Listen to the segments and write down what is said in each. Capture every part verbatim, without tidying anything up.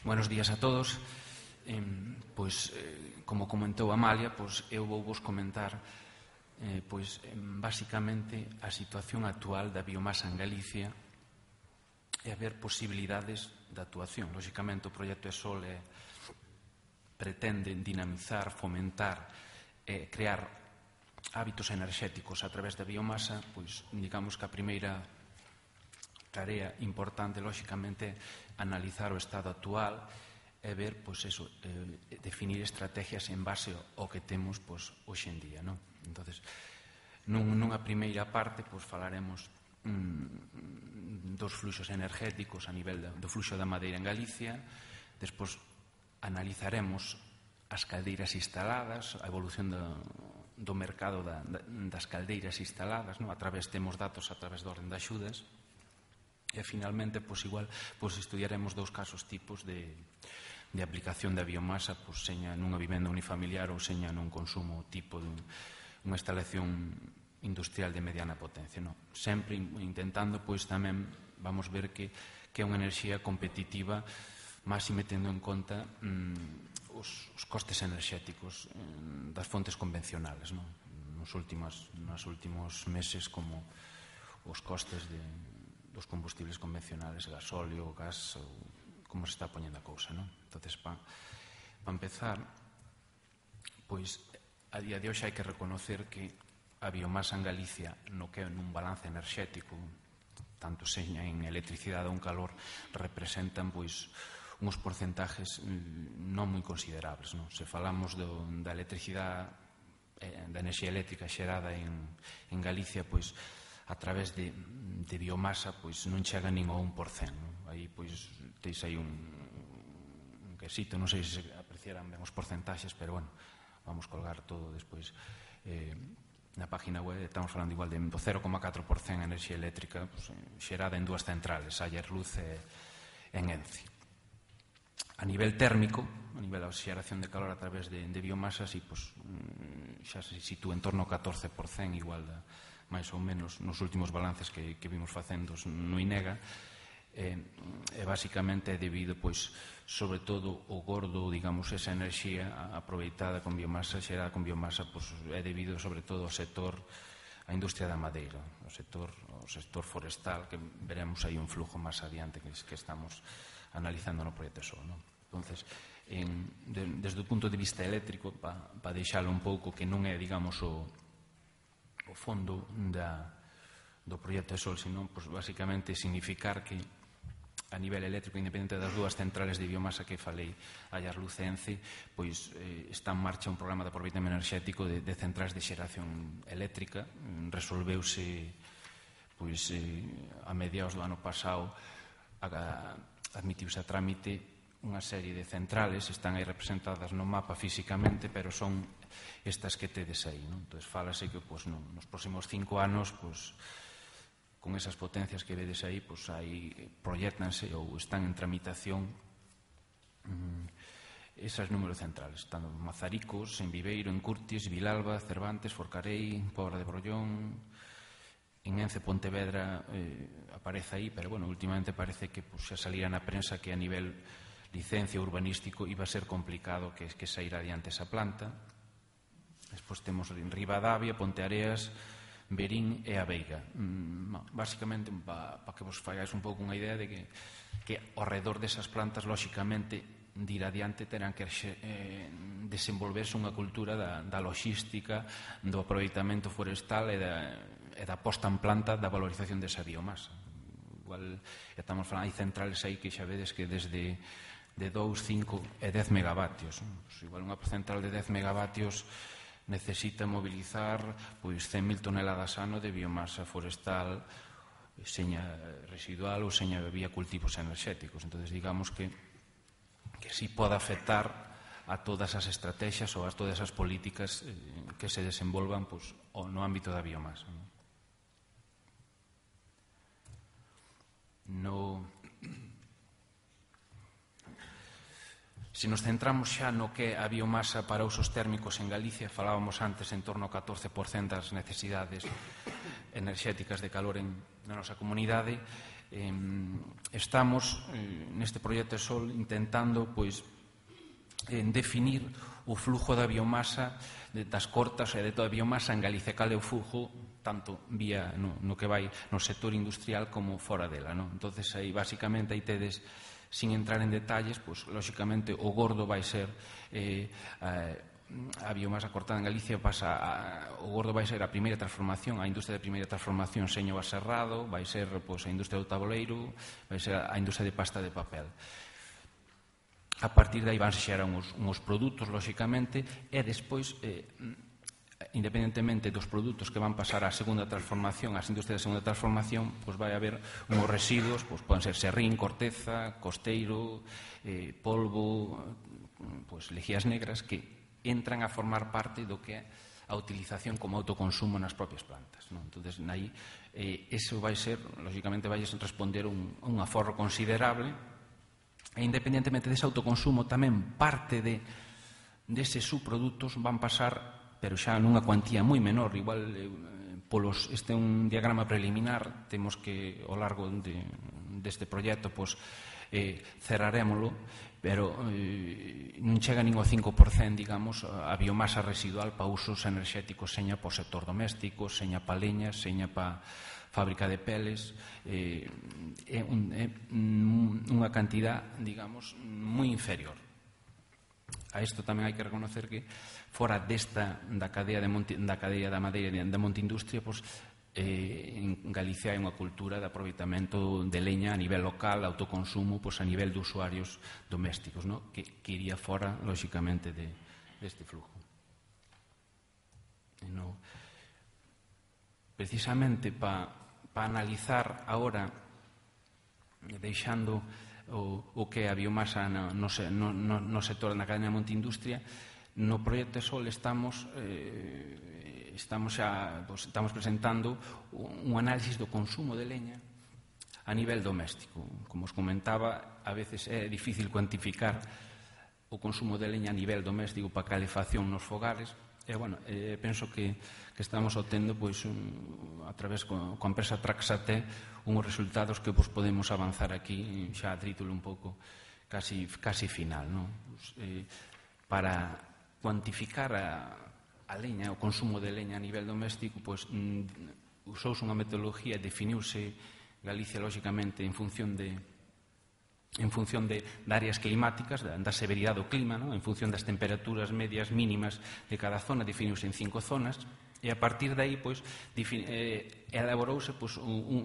Buenos días a todos. Eh, pois, eh, como comentou Amalia, pois, eu vou vos comentar eh, pois, eh, basicamente a situación actual da biomasa en Galicia e a ver posibilidades de actuación. Lóxicamente, o proxecto ESOL é, pretende dinamizar, fomentar e crear hábitos enerxéticos a través da biomasa. Pois, digamos que a primeira tarea importante, lóxicamente, analizar o estado actual e ver, pois, eso, eh, definir estrategias en base ao que temos, pois, hoxe en día, non? Entonces, nun, nunha primeira parte, pois, falaremos mm, dos fluxos energéticos a nivel da, do fluxo da madeira en Galicia. Despois analizaremos as caldeiras instaladas, a evolución do, do mercado da, das caldeiras instaladas, non? A través, temos datos a través da orden de axudas. E, finalmente, pois, igual, pois, estudiaremos dous casos tipos de, de aplicación da biomasa, pois, seña nunha vivenda unifamiliar ou seña nun consumo tipo de unha instalación industrial de mediana potencia, non? Sempre intentando, pois, tamén vamos ver que, que é unha enerxía competitiva, máxime tendo en conta mm, os, os costes enerxéticos mm, das fontes convencionales, non? Nos últimos, nos últimos meses, como os costes de dos combustibles convencionales, gasóleo, gas, ou como se está poñendo a cousa, non? Entonces, para pa empezar, pois, a día de hoxe hai que reconocer que a biomasa en Galicia, no que é nun balance enerxético, tanto seña en electricidade ou en calor, representan, pois, uns porcentajes non moi considerables, non? Se falamos do, da electricidade, da enerxía eléctrica xerada en, en Galicia, pois, a través de, de biomasa, pois, non chega nin ao un por cento, non? Aí, pois, teis aí un, un quesito, non sei se apreciarán ben os porcentaxes, pero, bueno, vamos colgar todo despois eh, na página web. Estamos falando igual de do cero coma catro por cento enerxía eléctrica, pois, xerada en dúas centrales, Allerluz e en Ence. A nivel térmico, a nivel da xeración de calor a través de, de biomasa, si, pois, xa se sitúa en torno ao catorce por cento, igual da máis ou menos nos últimos balances que, que vimos facendo no INEGA, e, e basicamente é debido, pois, sobre todo o gordo, digamos, esa enerxía aproveitada con biomasa, xerada con biomasa, pois, é debido sobre todo ao sector, a industria da madeira, o sector, o sector forestal, que veremos aí un flujo máis adiante que, que estamos analizando no proxecto ESOL, non? Entonces, en, de, desde o punto de vista eléctrico, para pa deixalo un pouco, que non é, digamos, o o fondo da, do proxecto ESOL, senón, pois, basicamente, significar que a nivel eléctrico, independente das dúas centrales de biomasa que falei, Allerluz e Ence, pois, eh, está en marcha un programa de aproveitamento enerxético de, de centrais de xeración eléctrica. Resolveuse, pois, eh, a mediados do ano pasado, a, admitiuse a trámite unha serie de centrales, están aí representadas no mapa físicamente, pero son estas que tedes aí, non? Entón, fálase que, pois, non, nos próximos cinco anos, pois, con esas potencias que vedes aí, pois, aí proyectanse ou están en tramitación mmm, esas números centrales. Están en Mazaricos, en Viveiro, en Curtis, Vilalba, Cervantes, Forcarei, Pobra de Brollón, en Ence, Pontevedra, eh, aparece aí, pero, bueno, últimamente parece que, pois, xa salía na prensa que a nivel licencia urbanístico iba a ser complicado que, que saíra adiante esa planta. Despois temos en Ribadavia, Ponteareas, Verín e a Veiga. Mm, basicamente, para pa que vos fagais un pouco unha idea de que, que ao redor desas plantas, lóxicamente, de ir adiante terán que eh, desenvolverse unha cultura da, da logística, do aproveitamento forestal e da, e da posta en planta da valorización desa biomasa. Igual, estamos falando, hai centrales aí que xa vedes que desde de dous, cinco e dez megavatios. Pues, igual unha central de dez megavatios necesita mobilizar, pois, cen mil toneladas ano de biomasa forestal, seña residual ou seña vía cultivos enerxéticos. Entón, digamos que que si pode afectar a todas as estrategias ou a todas as políticas eh, que se desenvolvan, pois, no ámbito da biomasa. No... Se nos centramos xa no que a biomasa para usos térmicos en Galicia, falábamos antes en torno ao catorce por cento das necesidades enerxéticas de calor en, na nosa comunidade, Eh, estamos, eh, neste proxecto Sol, intentando, pois, eh, definir o flujo da biomasa, de, das cortas e de toda a biomasa en Galicia, cal é o flujo, tanto vía no, no que vai no sector industrial como fora dela, non? Entonces, aí, basicamente, aí tedes, sin entrar en detalles, pois, lóxicamente, o gordo vai ser eh, a, a biomasa cortada en Galicia pasa a, o gordo vai ser a primeira transformación, a industria de primeira transformación seño aserrado, vai ser pois, a industria do tabuleiro, vai ser a industria de pasta de papel. A partir de aí van se xerar uns, uns produtos, lóxicamente, e despois, eh, independentemente dos produtos que van pasar á segunda transformación, ás industrias de segunda transformación, pois vai haber uns residuos, pois poden ser serrín, corteza, costeiro, eh, polvo, pois lexías negras, que entran a formar parte do que é a utilización como autoconsumo nas propias plantas, non? Entonces, aí, eh, eso vai ser, lóxicamente, vai responder un, un aforro considerable. E independentemente dese autoconsumo, tamén parte de deses subprodutos van pasar, pero xa nunha cuantía moi menor, igual eh, polos, este é un diagrama preliminar, temos que ao largo de, deste proxecto pois, eh, cerrarémolo, pero eh, non chega nin ao cinco por cento, digamos, a biomasa residual para usos enerxéticos, seña para o sector doméstico, seña para leña, seña para fábrica de peles, eh, é, un, é unha cantidad, digamos, moi inferior. A isto tamén hai que reconocer que fora desta da cadea, de Monte, da, cadea da madeira da Monte Industria, pois, eh, en Galicia hai unha cultura de aproveitamento de leña a nivel local, autoconsumo, pois, a nivel de usuarios domésticos, no? que, que iría fora, lóxicamente, de, deste flujo. E no, precisamente para pa analizar agora, deixando o, o que é a biomasa no, no, no, no sector da cadena de Monte Industria, no proxecto Sol estamos eh, estamos xa pues, estamos presentando un análisis do consumo de leña a nivel doméstico. Como os comentaba, a veces é difícil cuantificar o consumo de leña a nivel doméstico para calefacción nos fogares. E, bueno, eh, penso que, que estamos obtendo pois, un, a través con, con a empresa Traxate unhos resultados que pois, podemos avanzar aquí xa a título un pouco casi, casi final, non? Pues, eh, para cuantificar a, a leña, o consumo de leña a nivel doméstico, pois, mm, usouse unha metodología, definiuse Galicia lóxicamente en función de en función de, de áreas climáticas, da, da severidade do clima, ¿no? En función das temperaturas medias mínimas de cada zona, definiuse en cinco zonas, e a partir de aí, pois, eh, elaborouse, pois, un, un,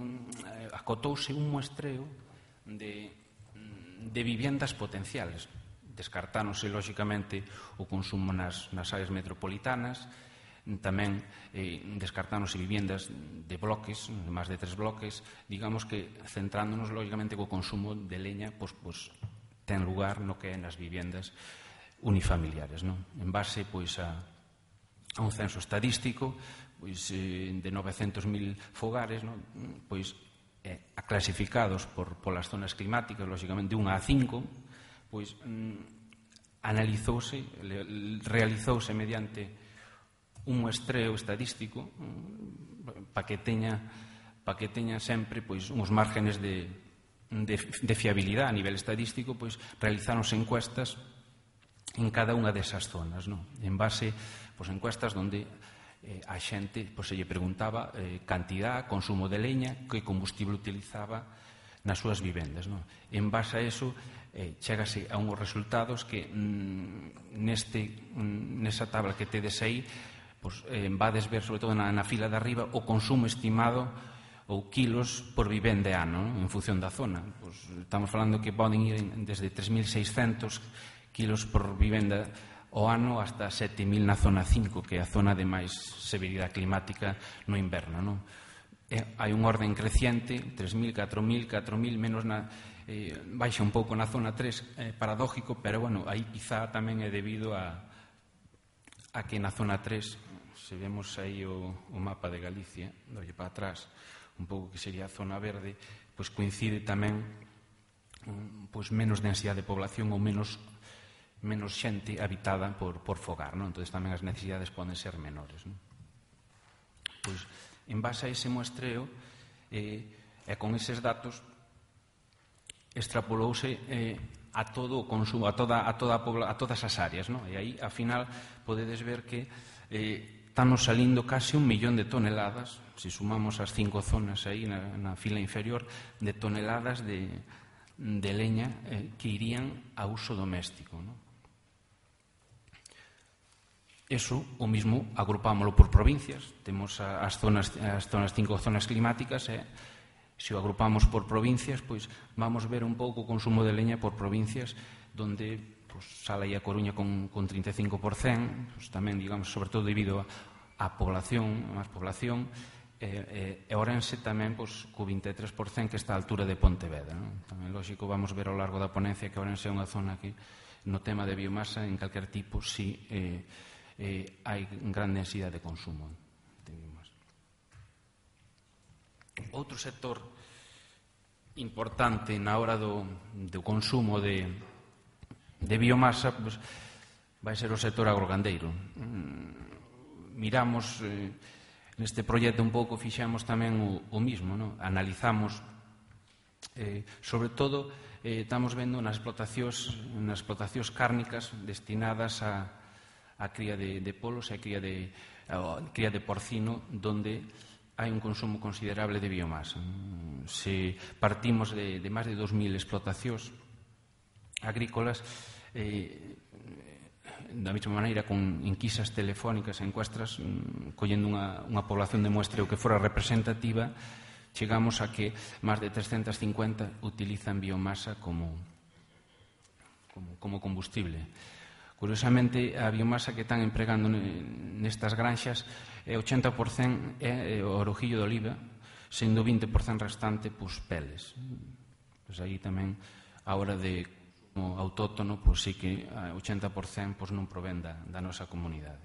acotouse un muestreo de, de viviendas potenciales. Descartáronse, lóxicamente, o consumo nas, nas áreas metropolitanas, tamén eh, descartáronse viviendas de bloques, de máis de tres bloques, digamos que centrándonos lógicamente co consumo de leña, pois, pois ten lugar no que é nas viviendas unifamiliares, non? En base pois a, a un censo estadístico pois eh, de novecentos mil fogares, non? Pois eh, clasificados por polas zonas climáticas, lógicamente de unha a cinco, pois mm, analizouse, realizouse mediante un muestreo estadístico para que teña para que teña sempre pois uns márgenes de, de, de fiabilidade a nivel estadístico, pois realizáronse encuestas en cada unha desas zonas, non? En base pois encuestas onde eh, a xente pois se lle preguntaba eh, cantidad, consumo de leña, que combustible utilizaba nas súas vivendas, non? En base a eso eh, chégase a unhos resultados que mm, neste mm, nesa tabla que tedes aí pois, eh, vades ver, sobre todo na, na fila de arriba, o consumo estimado ou kilos por vivenda ano, non? En función da zona. Pois, estamos falando que poden ir desde tres mil seiscentos kilos por vivenda ao ano hasta sete mil na zona cinco, que é a zona de máis severidade climática no inverno, non? E hai un orden creciente, tres mil, catro mil, catro mil, menos na... Eh, baixa un pouco na zona tres, eh, paradójico, pero, bueno, aí quizá tamén é debido a, a que na zona tres, se vemos aí o, o mapa de Galicia, dolle para atrás, un pouco que sería a zona verde, pois coincide tamén pois menos densidade de población ou menos menos xente habitada por, por fogar, non? Entón tamén as necesidades poden ser menores, non? Pois, en base a ese muestreo eh, e con eses datos, extrapolouse eh, a todo o consumo, a, toda, a, toda a, pobla, a todas as áreas, no? E aí, ao final, podedes ver que eh, estamos salindo casi un millón de toneladas, se sumamos as cinco zonas aí na, na fila inferior, de toneladas de, de leña eh, que irían a uso doméstico, no? Eso, o mismo, agrupámoslo por provincias. Temos as zonas, as zonas cinco zonas climáticas, e se o agrupamos por provincias, pois vamos ver un pouco o consumo de leña por provincias, donde pois, Sala e a Coruña con, con trinta e cinco por cento, pois, tamén, digamos, sobre todo debido a, a población, a máis población, e, e Ourense tamén pois, co vinte e tres por cento que está a altura de Pontevedra, non? Tamén, lógico, vamos ver ao largo da ponencia que Ourense é unha zona que no tema de biomasa, en calquer tipo, si eh, eh, hai gran densidade de consumo de biomasa. Outro sector importante na hora do, do consumo de, de biomasa pues, vai ser o sector agrogandeiro. Miramos eh, neste proxecto un pouco, fixamos tamén o, o mismo, no? Analizamos eh, sobre todo eh, estamos vendo nas explotacións nas explotacións cárnicas destinadas a, a cría de, de polos e a cría de, a cría de porcino, donde hai un consumo considerable de biomasa. Se partimos de, de máis de dos mil explotacións agrícolas, eh, da mesma maneira, con enquisas telefónicas, encuestras, collendo unha, unha población de muestreo que fora representativa, chegamos a que máis de trescentas cincuenta utilizan biomasa como, como, como combustible. Curiosamente, a biomasa que están empregando nestas granxas é ochenta por cento é o orojillo de oliva, sendo vinte por cento restante pois, peles. Pois aí tamén, a hora de como autóctono, pois sí que ochenta por cento pois, non provén da, da nosa comunidade.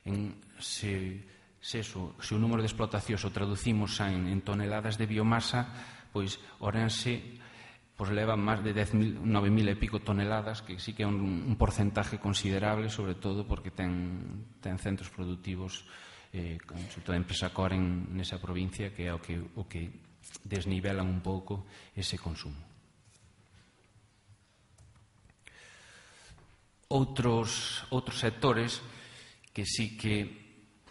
En, se, se, eso, se o número de explotacións o traducimos en, en toneladas de biomasa, pois Ourense pois leva máis de nove mil e pico toneladas, que sí que é un, un porcentaje considerable, sobre todo porque ten, ten centros productivos, eh, sobre todo a empresa Coren nesa provincia, que é o que, o que desnivelan un pouco ese consumo. Outros, outros sectores que sí que,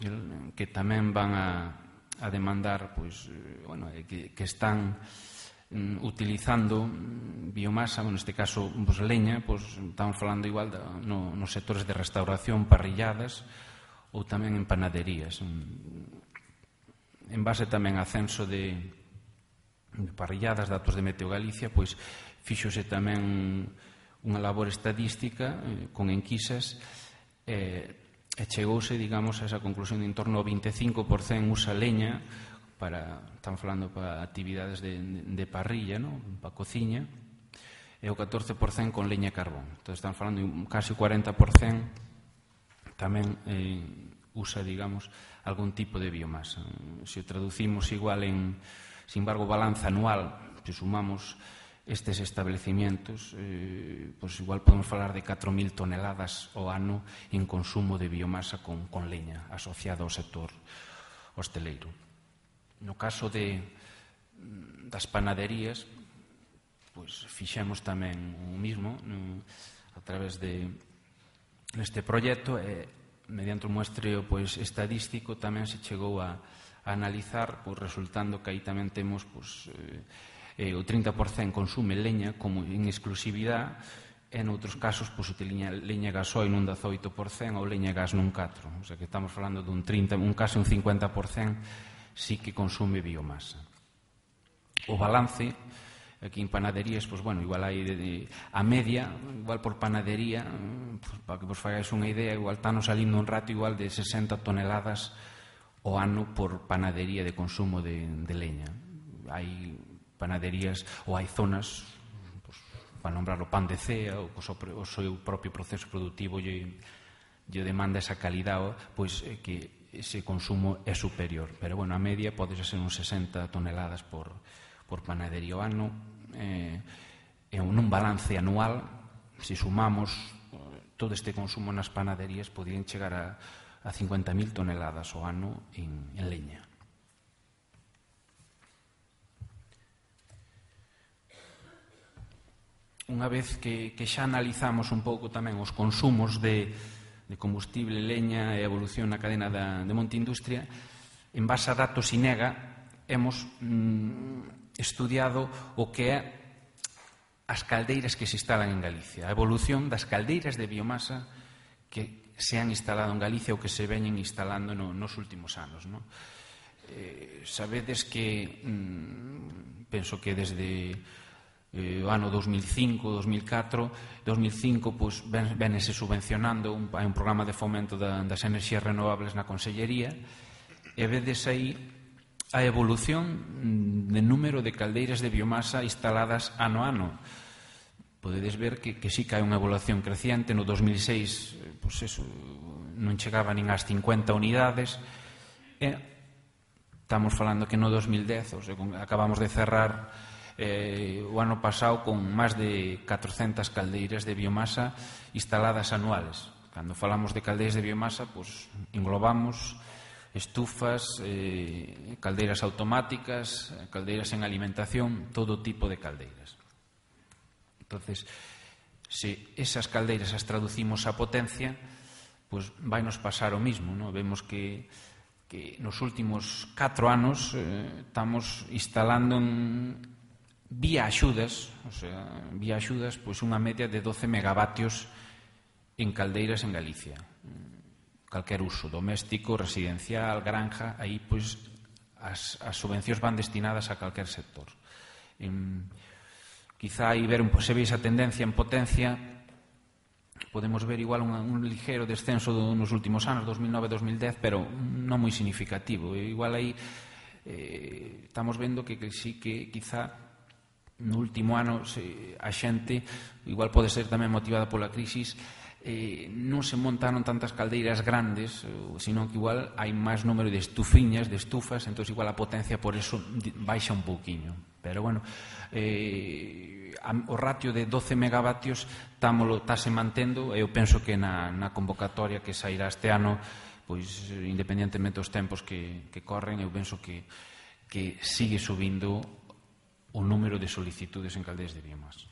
que tamén van a, a demandar, pois, bueno, que, que están utilizando biomasa, neste caso pues, leña, pues, estamos falando igual da, no, nos sectores de restauración, parrilladas ou tamén en panaderías. En base tamén a censo de, de parrilladas, datos de Meteo Galicia, pois fíxose tamén unha labor estadística eh, con enquisas eh, e chegouse, digamos, a esa conclusión de en torno ao vinte e cinco por cento usa leña para, están falando para actividades de, de parrilla, ¿no? Para cociña, e o catorce por cento con leña e carbón. Entón, están falando casi o cuarenta por cento tamén eh, usa, digamos, algún tipo de biomasa. Se o traducimos igual en, sin embargo, balanza anual, se sumamos estes establecimientos, eh, pues igual podemos falar de catro mil toneladas ao ano en consumo de biomasa con, con leña asociada ao sector hosteleiro. No caso de, das panaderías, pois fixemos tamén o mismo no, a través de neste proxecto e mediante un muestreo pois, estadístico tamén se chegou a, a analizar, pois, resultando que aí tamén temos pois, eh, o trinta por cento consume leña como en exclusividade e noutros casos pois, utiliza leña gasoil nun dezoito por cento ou leña gas nun catro por cento. O sea que estamos falando dun trinta, un caso un cincuenta por cento sí que consume biomasa. O balance, aquí en panaderías, pues bueno, igual hai de, de, a media, igual por panadería, pues, para que vos fagais unha idea, igual estamos salindo un rato igual de sesenta toneladas ao ano por panadería de consumo de, de leña. Hai panaderías ou hai zonas, pues, para nombrar o pan de cea, o, o seu propio proceso productivo lle, lle demanda esa calidade, pois eh, que ese consumo é superior, pero bueno, a media pode ser uns sesenta toneladas por, por panadería ao ano, eh, e nun balance anual, se sumamos eh, todo este consumo nas panaderías, podían chegar a, a cincuenta mil toneladas ao ano en, en leña. unha vez que, que xa analizamos un pouco tamén os consumos de, de combustible, leña e a evolución na cadena da, de Monte Industria, en base a datos INEGA, hemos mm, estudiado o que é as caldeiras que se instalan en Galicia, a evolución das caldeiras de biomasa que se han instalado en Galicia ou que se veñen instalando no, nos últimos anos, non? Eh, sabedes que mm, penso que desde eh, o ano dos mil cinco, dos mil catro dos mil cinco pues, ven, venese subvencionando un, hai un programa de fomento da, das enerxías renovables na Consellería e vedes aí a evolución de número de caldeiras de biomasa instaladas ano a ano. Podedes ver que, que sí que hai unha evolución creciente. No dos mil seis pues eso, non chegaba nin ás cincuenta unidades e estamos falando que no dos mil dez, o sea, acabamos de cerrar eh, o ano pasado con máis de catrocentas caldeiras de biomasa instaladas anuales. Cando falamos de caldeiras de biomasa, pues, englobamos estufas, eh, caldeiras automáticas, caldeiras en alimentación, todo tipo de caldeiras. Entonces, se esas caldeiras as traducimos a potencia, pues vai nos pasar o mismo, ¿no? Vemos que que nos últimos catro anos eh, estamos instalando en, vía axudas, o sea, vía axudas, pois unha media de doce megavatios en caldeiras en Galicia. Calquer uso, doméstico, residencial, granja, aí pois as, as subvencións van destinadas a calquer sector. En, quizá aí ver un, se ve esa tendencia en potencia, podemos ver igual un, un ligero descenso do, nos últimos anos, dos mil nove a dos mil dez, pero non moi significativo. E igual aí eh, estamos vendo que, que sí que quizá no último ano se, a xente, igual pode ser tamén motivada pola crisis, eh, non se montaron tantas caldeiras grandes, sino que igual hai máis número de estufiñas, de estufas, entón igual a potencia por eso baixa un pouquiño. Pero bueno, eh, o ratio de doce megavatios estáse mantendo e eu penso que na, na convocatoria que sairá este ano, pois independentemente dos tempos que, que corren, eu penso que, que sigue subindo o número de solicitudes en caldeiras de biomasa.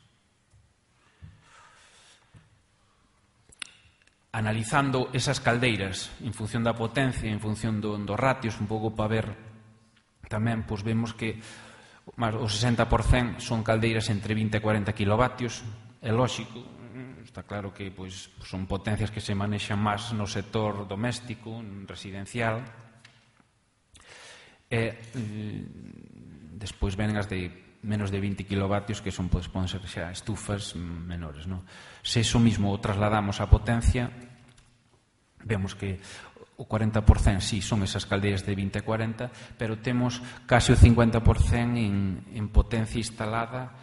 Analizando esas caldeiras en función da potencia, en función do, dos ratios, un pouco para ver tamén, pois vemos que o sesenta por cento son caldeiras entre vinte e cuarenta kilovatios. É lógico, está claro que pois, son potencias que se manexan máis no sector doméstico, residencial. E eh, despois ven as de menos de vinte kilovatios, que son, pois, poden ser xa estufas menores, non? Se iso mismo o trasladamos á potencia, vemos que o cuarenta por cento sí son esas caldeiras de vinte e cuarenta, pero temos case o cincuenta por cento en, en potencia instalada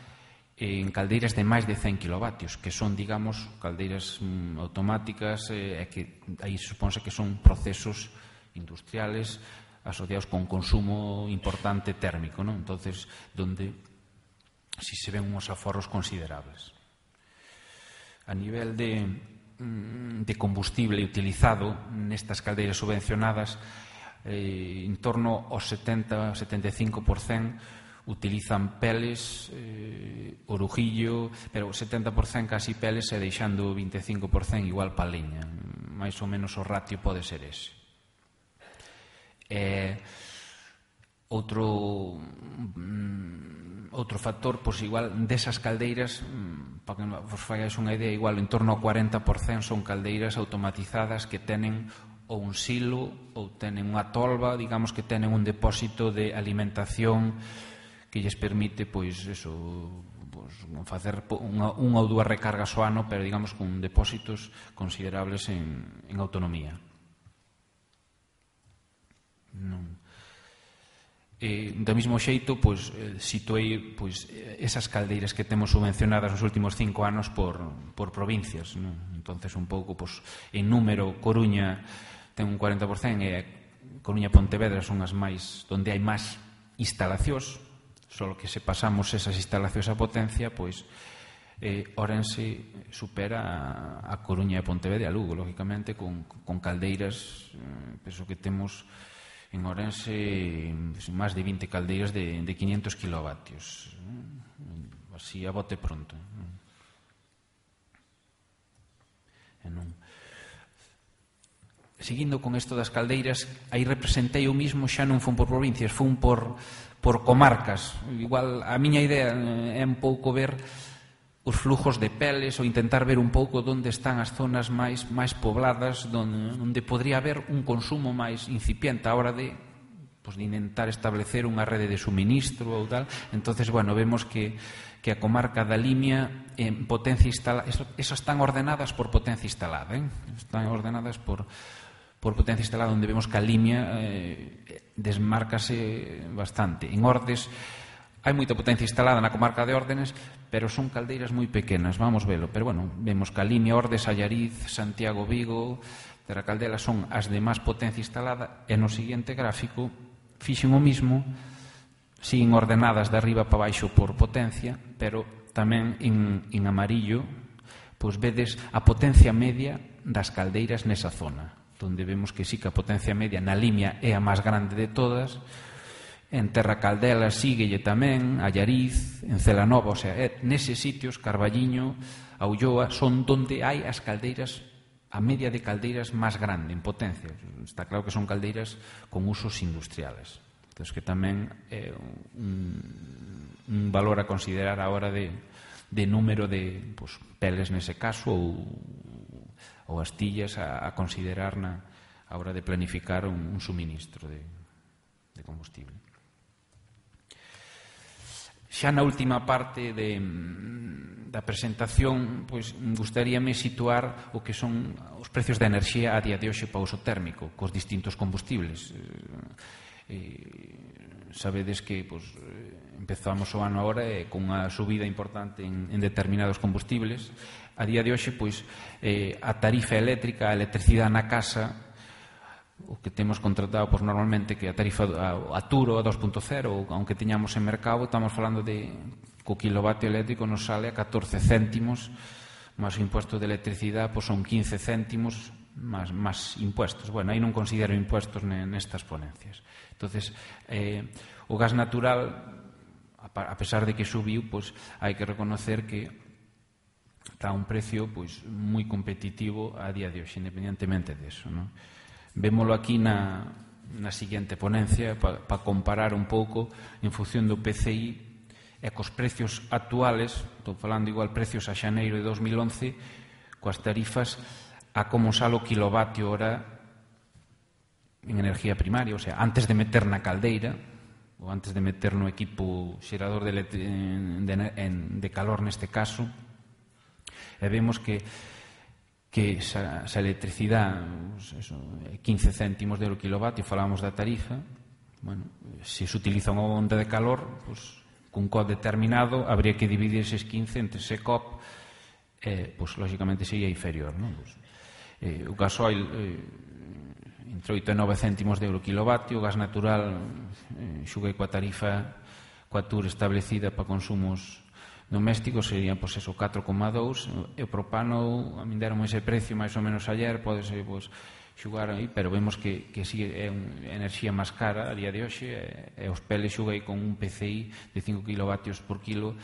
en caldeiras de máis de cen kilovatios, que son, digamos, caldeiras mm, automáticas, e eh, que aí supónse que son procesos industriales asociados con consumo importante térmico, non? Entonces, donde si se ven uns aforros considerables. A nivel de de combustible utilizado nestas caldeiras subvencionadas, eh, en torno ao setenta a setenta e cinco por cento utilizan peles, eh, orujillo, pero o setenta por cento casi peles e deixando o vinte e cinco por cento igual pa leña. Mais ou menos o ratio pode ser ese. Eh, outro mm, outro factor, pois igual desas caldeiras, mm, para que vos fagais unha idea, igual en torno ao cuarenta por cento son caldeiras automatizadas que tenen ou un silo ou tenen unha tolva, digamos que tenen un depósito de alimentación que lles permite, pois, eso, pois, facer unha, unha ou dúas recargas ao ano, pero digamos con depósitos considerables en, en autonomía. Non. Eh, do mesmo xeito, pois, eh, situei pois, esas caldeiras que temos subvencionadas nos últimos cinco anos por, por provincias, non? Entonces, un pouco, pois, en número, Coruña ten un cuarenta por cento e Coruña e Pontevedra son as máis, onde hai máis instalacións, só que se pasamos esas instalacións a potencia, pois eh, Ourense supera a, a Coruña e Pontevedra e a Lugo, lógicamente, con, con caldeiras, eh, penso que temos en Ourense máis de vinte caldeiras de, de quinientos kilovatios, así a bote pronto. E non... Seguindo con isto das caldeiras, aí representei eu mismo, xa non fun por provincias, fun por, por comarcas. Igual a miña idea é un pouco ver os flujos de peles ou intentar ver un pouco onde están as zonas máis, máis pobladas, onde, onde podría haber un consumo máis incipiente a hora de, pues, de intentar establecer unha rede de suministro ou tal. Entonces, bueno, vemos que que a comarca da Limia en potencia instalada, eso, eso están ordenadas por potencia instalada, ¿eh? Están ordenadas por, por potencia instalada, onde vemos que a Limia eh, desmárcase bastante. En Ordes hai moita potencia instalada na comarca de Órdenes, pero son caldeiras moi pequenas, vamos velo. Pero bueno, vemos que a Limia, Ordes, Allariz, Santiago, Vigo, Terracaldela son as de máis potencia instalada, e no seguinte gráfico fixen o mismo, siguen ordenadas de arriba para baixo por potencia, pero tamén en, en amarillo, pois vedes a potencia media das caldeiras nesa zona, onde vemos que sí que a potencia media na Limia é a máis grande de todas, en Terracaldela síguelle tamén, Allariz, en Celanova, o sea, é, neses sitios, Carballiño, a Ulloa, son donde hai as caldeiras, a media de caldeiras máis grande en potencia. Está claro que son caldeiras con usos industriales. Entón, que tamén é un, un valor a considerar a hora de, de número de, pues, peles nese caso ou, ou astillas a, a considerar na, a hora de planificar un, un suministro de, de combustible. Xa na última parte de, da presentación, pois, gustaríame situar o que son os precios da enerxía a día de hoxe para o uso térmico cos distintos combustibles. Eh, sabedes que pues, empezamos o ano agora eh, con unha subida importante en, en determinados combustibles. A día de hoxe, pois, eh, a tarifa eléctrica, a electricidade na casa, o que temos contratado pois, normalmente, que a tarifa a, a Turo a dos punto cero, aunque teñamos en mercado, estamos falando de que o kilovatio eléctrico nos sale a catorce céntimos, máis o impuesto de electricidade pois, son quince céntimos máis, máis impuestos. Bueno, aí non considero impuestos nestas ponencias. Entonces, eh, o gas natural, a pesar de que subiu, pues, hai que reconocer que está a un precio pues, moi competitivo a día de hoxe, independentemente de eso, ¿no? Vémolo aquí na, na seguinte ponencia para pa comparar un pouco en función do P C I e cos precios actuales, estou falando igual precios a xaneiro de dos mil once, coas tarifas a como sale o kilovatio hora en energía primaria, o sea, antes de meter na caldeira ou antes de meter no equipo xerador de, de, de calor neste caso, e vemos que que esa, esa electricidade eso, quince céntimos de euro kilovatio, falamos da tarifa, bueno, se se utiliza unha onda de calor, pues, cun C O P determinado, habría que dividir eses quince entre ese C O P, eh, pues, lógicamente sería inferior, ¿no? Pues, eh, o gasoil eh, entre oito e nove céntimos de euro kilovatio, o gas natural eh, xuguei coa tarifa coa T U R establecida para consumos domésticos sería, pois, eso, catro coma dous, e o propano, a min deron ese precio máis ou menos ayer, pode ser, pois, xugar aí, pero vemos que, que si é unha enerxía máis cara a día de hoxe, e, e os peles xuguei con un P C I de cinco kilovatios por kilo,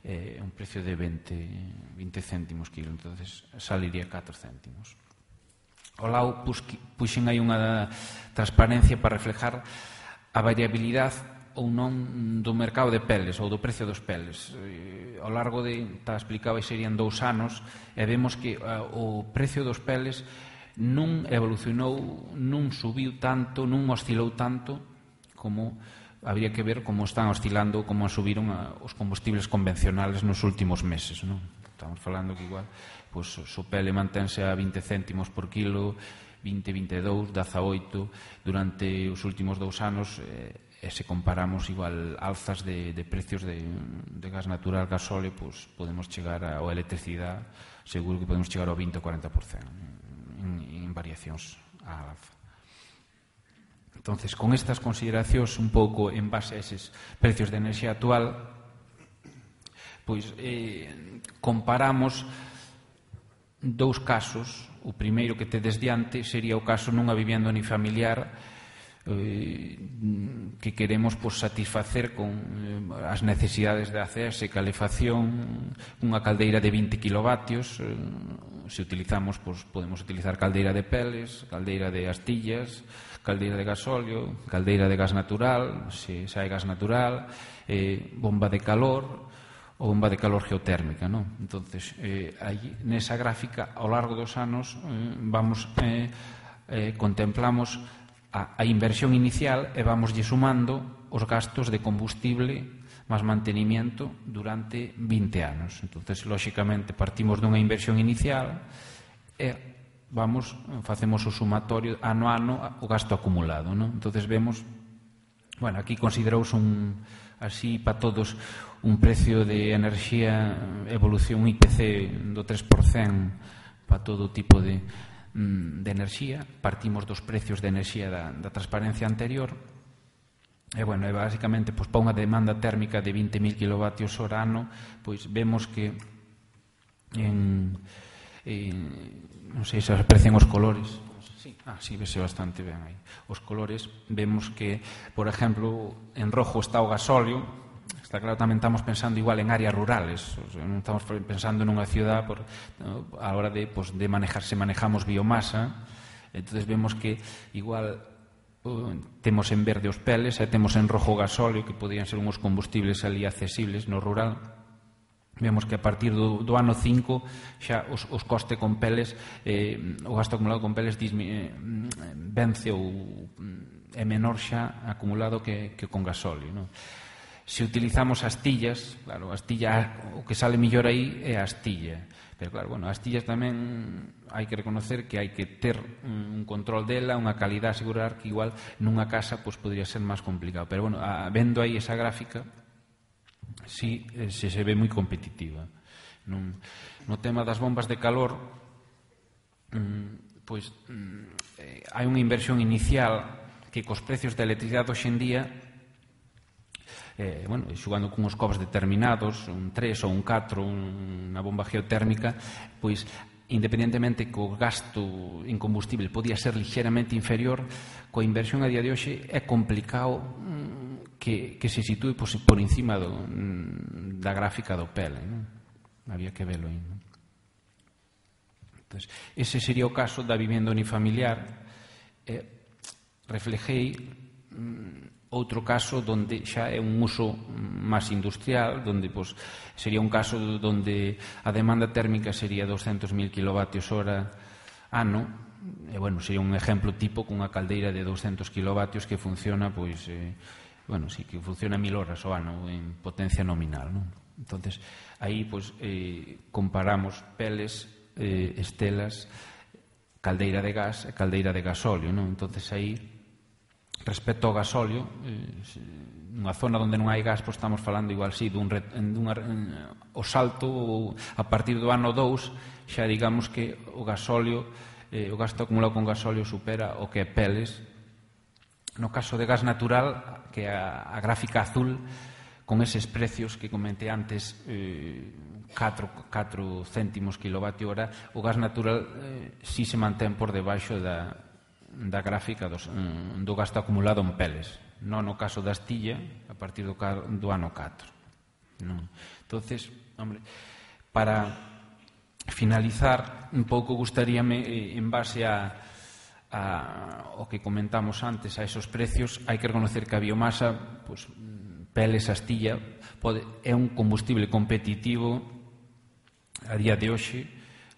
eh, un precio de vinte céntimos kilo, entonces saliría catro céntimos. Ao lado puxen aí unha transparencia para reflejar a variabilidade ou non do mercado de peles ou do precio dos peles. Ao largo de, está explicado, serían dous anos, e vemos que o precio dos peles non evolucionou, non subiu tanto, non oscilou tanto como habría que ver como están oscilando, como subiron os combustibles convencionales nos últimos meses, non? Estamos falando que igual pois, o pele mantense a vinte céntimos por kilo, vinte, vinte e dous, dezaoito durante os últimos dous anos, eh, e se comparamos igual alzas de, de precios de, de gas natural, gasóleo, pois podemos chegar a, ou electricidade, seguro que podemos chegar ao vinte ou cuarenta por cento en, en variacións á alza. Entonces, con estas consideracións un pouco en base a eses precios de enerxía actual, pois eh, comparamos dous casos. O primeiro que tedes diante sería o caso nunha vivenda unifamiliar que queremos pues, satisfacer con eh, as necesidades de acese, calefacción, unha caldeira de vinte kilovatios. Eh, se utilizamos, pues, podemos utilizar caldeira de peles, caldeira de astillas, caldeira de gasóleo, caldeira de gas natural, se, se hai gas natural, eh, bomba de calor ou bomba de calor geotérmica, non? Entonces, eh, aí, nesa gráfica, ao largo dos anos, eh, vamos, eh, eh, contemplamos a, a inversión inicial e vamoslle sumando os gastos de combustible máis mantenimiento durante vinte anos. Entonces, lóxicamente, partimos dunha inversión inicial e vamos, facemos o sumatorio ano a ano o gasto acumulado, non? Entonces, vemos, bueno, aquí considerouse un, así para todos, un precio de enerxía, evolución I P C do tres por cento para todo tipo de de enerxía. Partimos dos precios de enerxía da, da transparencia anterior e, bueno, e basicamente, pois, para unha demanda térmica de vinte mil kilovatios hora ano, pois vemos que en, en non sei se aprecian os colores. Sí, ah, sí, vese bastante ben aí. Os colores, vemos que, por exemplo, en rojo está o gasóleo. Está claro, tamén estamos pensando igual en áreas rurales, o sea, non estamos pensando nunha ciudad por, no, a hora de, pues, de manejar, se manejamos biomasa. Entonces vemos que igual uh, temos en verde os peles e temos en rojo o gasóleo, que podían ser uns combustibles ali accesibles no rural. Vemos que a partir do, do ano cinco xa os, os coste con peles, eh, o gasto acumulado con peles dismi, eh, vence ou é menor xa acumulado que, que con gasóleo, non? Se utilizamos astillas, claro, a astilla, o que sale mellor aí é a astilla. Pero claro, bueno, as astillas tamén hai que reconocer que hai que ter un control dela, unha calidad, asegurar que igual nunha casa pues, podría ser máis complicado. Pero bueno, a, vendo aí esa gráfica, sí, se, se ve moi competitiva. No, no tema das bombas de calor, mm, pois mm, eh, hai unha inversión inicial que cos precios da electricidade hoxe en día, Eh, bueno, xugando con uns cobos determinados, un tres ou un catro, unha bomba geotérmica, pois, independentemente que o gasto en combustible podía ser ligeramente inferior, coa inversión a día de hoxe é complicado mm, que, que se sitúe pois, por encima do, mm, da gráfica do P E L, non? Había que velo aí, non? Entonces, ese sería o caso da vivenda unifamiliar. Eh, reflejei mm, outro caso onde xa é un uso máis industrial, onde pues, sería un caso onde a demanda térmica sería doscientos mil kilovatios hora ano, e, bueno, sería un exemplo tipo cunha caldeira de doscientos kilovatios que funciona, pois, eh, bueno, sí, que funciona mil horas ao ano en potencia nominal, non? Entonces, aí, pois, eh, comparamos peles, eh, estelas, caldeira de gas e caldeira de gasóleo, non? Entonces, aí, respecto ao gasóleo, nunha zona onde non hai gas, pois estamos falando igual si dun, dun, o salto a partir do ano dous, xa digamos que o gasóleo, eh, o gasto acumulado con gasóleo supera o que é peles. No caso de gas natural, que é a, a gráfica azul, con eses precios que comentei antes, eh, catro céntimos kilovatio hora, o gas natural eh, si se mantén por debaixo da da gráfica dos, do gasto acumulado en peles, non no caso da astilla a partir do, do ano catro, non? Entonces, hombre, para finalizar un pouco gustaríame, en base a, a o que comentamos antes, a esos precios, hai que reconocer que a biomasa, pues, peles, astilla, pode, é un combustible competitivo a día de hoxe,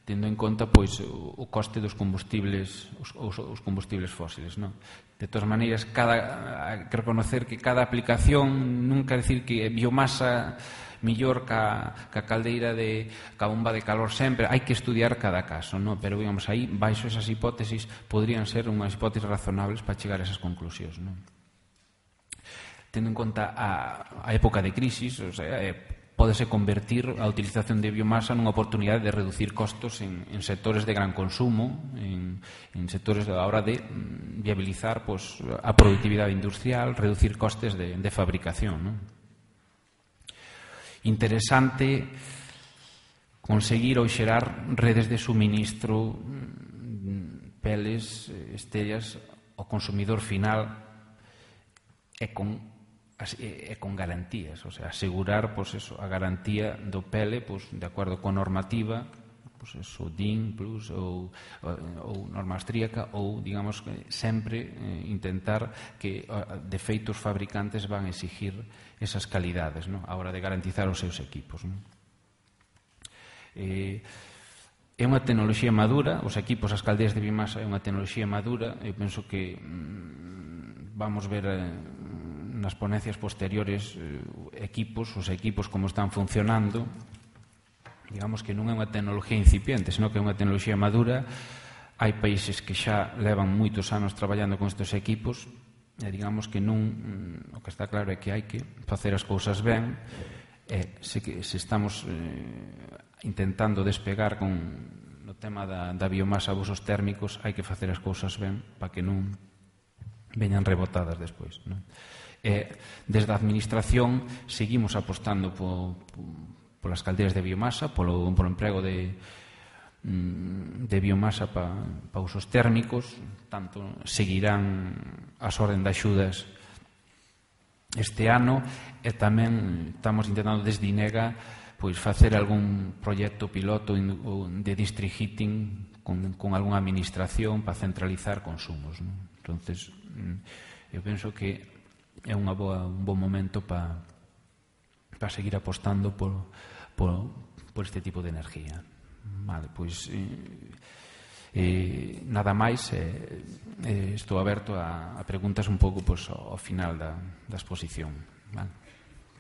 tendo en conta, pois, o coste dos combustibles, os, os combustibles fósiles, non? De todas maneiras, cada, hai que reconocer que cada aplicación non quer decir que biomasa millor ca, ca caldeira de ca bomba de calor sempre, hai que estudiar cada caso, non? Pero, digamos, aí, baixo esas hipótesis, podrían ser unhas hipótesis razonables para chegar a esas conclusións, non? Tendo en conta a, a época de crisis, o sea, é, pódese convertir a utilización de biomasa nunha oportunidade de reducir costos en, en sectores de gran consumo, en, en sectores a hora de mm, viabilizar pues, a productividade industrial, reducir costes de, de fabricación, ¿no? Interesante conseguir ou xerar redes de suministro, peles, estellas ao consumidor final e con e con garantías, o sea, asegurar pois eso, a garantía do P L pois, de acordo con normativa, pois eso, D I N plus ou, ou norma austríaca, ou, digamos, sempre eh, intentar que de feito os fabricantes van a exigir esas calidades, ¿no?, a hora de garantizar os seus equipos, ¿no? Eh, é unha tecnoloxía madura, os equipos, as caldeas de biomasa é unha tecnoloxía madura. Eu penso que mm, vamos ver eh, nas ponencias posteriores eh, equipos, os equipos como están funcionando. Digamos que non é unha tecnoloxía incipiente, senón que é unha tecnoloxía madura. Hai países que xa levan moitos anos traballando con estes equipos e digamos que non, o que está claro é que hai que facer as cousas ben. E se, que, se estamos eh, intentando despegar con no tema da, da biomasa a usos térmicos, hai que facer as cousas ben para que non veñan rebotadas despois, non? E, desde a administración seguimos apostando po, po, polas calderas de biomasa, polo, polo emprego de, de biomasa para pa usos térmicos. Tanto seguirán as orden de axudas este ano, e tamén estamos intentando desde INEGA pois facer algún proxecto piloto de district heating con, con algunha administración para centralizar consumos, ¿no? Entonces, eu penso que é unha boa, un bon momento para para seguir apostando por, por, por este tipo de energía. Vale, pois eh, eh, nada máis, eh, eh, estou aberto a, a preguntas un pouco pois, ao final da, da exposición. Vale,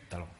ata logo.